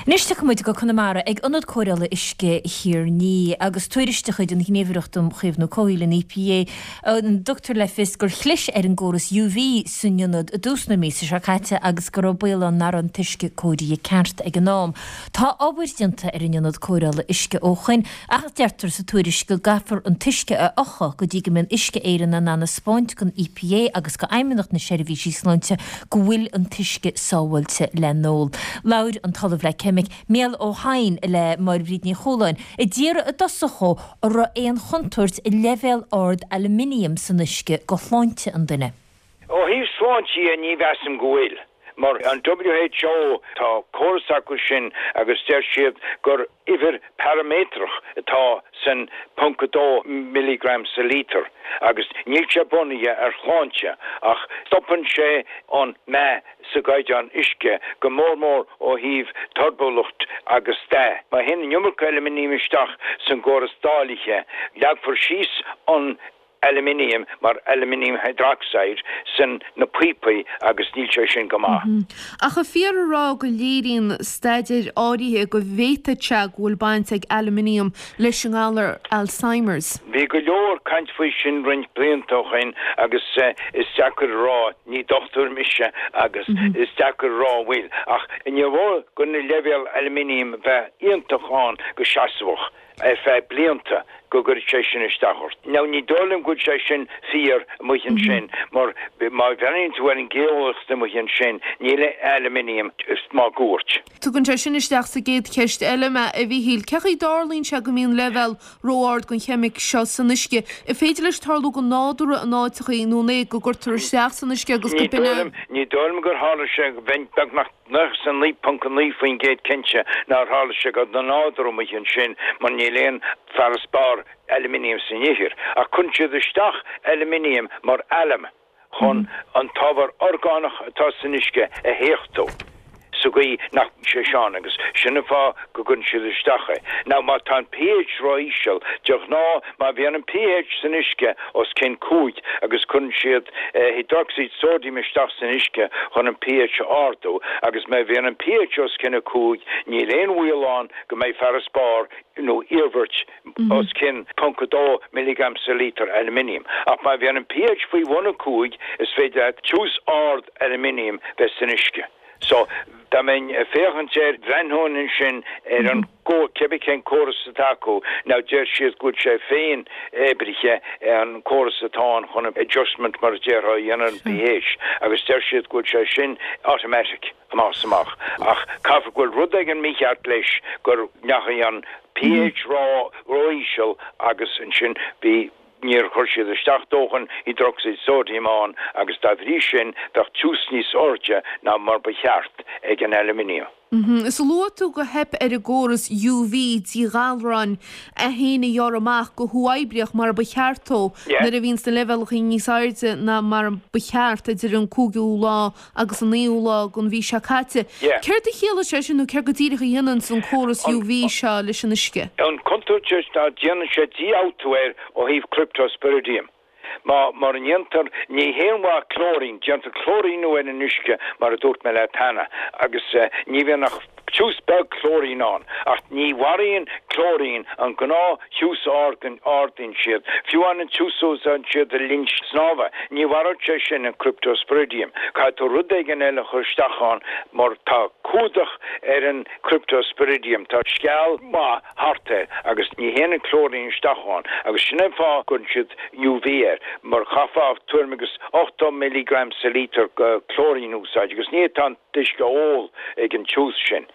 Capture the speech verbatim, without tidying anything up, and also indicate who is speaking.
Speaker 1: Anois tiocfaidh muid go Conamara ag Ionad Cóireála Uisce Thír an Fhia agus tuairisc de chuid an Ghníomhaireacht um Chaomhnú Comhshaoil an EPA a dtugtar le fios gur chlis ar an gcóras UV san ionad i dtús na míosa seo caite agus go raibh baol ann nach raibh an t-uisce cóirithe ceart ag an am. Tá obair déanta ar an ionad cóireála uisce ó shoin ach deirtear sa tuairisc go gcaithfear an t-uisce a fhiuchadh go dtí go mbeidh Uisce Éireann in ann a 'spáint don EPA agus go Fheidhmeannacht na Seirbhísí Sláinte go bhfuil an t-uisce sábháilte le n-ól. Labhair an tOllamh le Ceimic Mícheál Ó hEidhin le Máire Bríd Ní Chualáin a d'iarr i dtosach dhó an raibh aon chontúirt i leibhéal ard aluminium san uisce go shláinte an duine.
Speaker 2: Ó thaobh sláinte ní mheasaim go bhfuil. Mar an WHO tá córas acu sin agus deir siad gur uimhir paraiméadrach atá san ponc dó milligram sa lítar agus níl sé bunaithe ar shláinte ach stopann sé an meath sa gcaighdeán uisce go mór mór ó thaobh turbúlacht agus dath. Má théann an iomarca aluminium isteach san gcóras dáilithe, leagfar síos an aluminium mar aluminium hydroxide san na píopaí agus níl sé sin go maith.
Speaker 3: Mm -hmm. Ach an fíor a rá go léiríonn staidéir áirithe go bhféadfadh sé go bhfuil baint ag aluminium leis an ngalar Alzheimer's.
Speaker 2: Bhí go leor caint faoi sin roinnt blianta ó shin agus uh, is deacair a rá ní dochtúir mise agus mm -hmm. is deacair a rá bhfuil ach ní bhó go na leibhéal aluminium bheith iontach ann go seasmhach ar feadh blianta go gcuir sé sin isteach ort. Now ní dóigh liom go bhfuil sé sin fíor amuigh ansin mar má bhreathnaíonn tú ar an geolaíocht amuigh ansin níl aluminium máguairt.
Speaker 3: Tugann sé sin isteach sa gcéad cheist eile mé a Mhíchíl, Cén chaoi a dtarlaíonn sé go mbíonn leibhéal ró-ard den cheimic seo san uisce. An féidir leis tarlú go nádúrtha in áiteachaí nó é go gcuirtear isteach san uisce agus go b'in
Speaker 2: Ní dóigh liom gur tharla sé bheinn beagnach nócha is naoi ponc naoi faoin gcéad cinnte nár tharla sé go nádúrtha amuigh ansin mar níl aon farasbarr aluminium san ithir, ach cuireann siad isteach aluminium mar alum chun an t-ábhar orgánach atá san uisce a théachtú. sa gcaoi nach sé seán agus sin an fáth go gcuireann siad isteach é. Now má tá an pH ró-íseal de ghnáth má bhíonn an pH san uisce os cionn cúig agus cuireann siad eh, hydroxide sodium isteach san uisce chun an pH a ardú agus má bhíonn an pH os cionn a cúig níl aon bhaol ann go mbeidh farasbarr nó iarmhairt mm -hmm. os cionn ponc dó milligram sa lítar aluminium. Ach má bhíonn an pH faoi bhun a cúig is féidir tiús ard aluminium bheith san uisce. So dá mbeinn féachaint air bhreathnóinn ansin ar an go cibé cén córas atá acu now deir siad go bhfuil sé féin oibrithe an córas atá ann chun adjustment mar a déarfá a dhéanamh an pH agus deir siad go bhfuil sé sin automatic amach amach ach caithfidh go bhfuil rud éigin mícheart leis gur ndeachaigh an pH ró ró-íseal agus ansin bhí níor chuir siad isteach dóthain hydroxide sodium ann agus dá bhrí sin bheadh tiús níos airde ná mar ba cheart ag an aluminium.
Speaker 3: Mm -hmm. Is luaigh tú gur theip ar an gcóras UV díghalráin é féin a ghearradh amach go huathoibríoch mar ba cheart dó nuair a bhíonn na leibhéalacha níos airde ná mar ba cheart idir an cúigiú lá agus an naoú lá den mhí seo caite. Céard a chiallaíonn sé sin nó céard go díreach a dhéanann an córas UV seo leis an uisce.
Speaker 2: An chontúirt ná déanann sé dífhabhtú air ó thaobh cryptosporidium. Má mar an ndéantar ní haon mhaith clóirín, déantar clóiríniú ar an uisce mar a dúirt mé leat cheana agus uh, ní bhíonn ach tiús beag clóirín ann ach ní mharaíonn clóirín an gnáth-thiús ardaíonn siad fiú an an tiús a úsáideann siad i linn snámha ní mharódh sé sin an cryptosporidium Caithfidh tú rud éigin eile a chur isteach ann mar tá cumhdach ar an cryptosporidium tá sceall maith thart air agus ní théann an clóirín isteach ann agus sin an fáth go gcuireann siad UV air mar chaithfeá tuairim agus ochtó milligram sa lítar clóirín úsáid agus ní tá an t-uisce ól ag an tiús sin.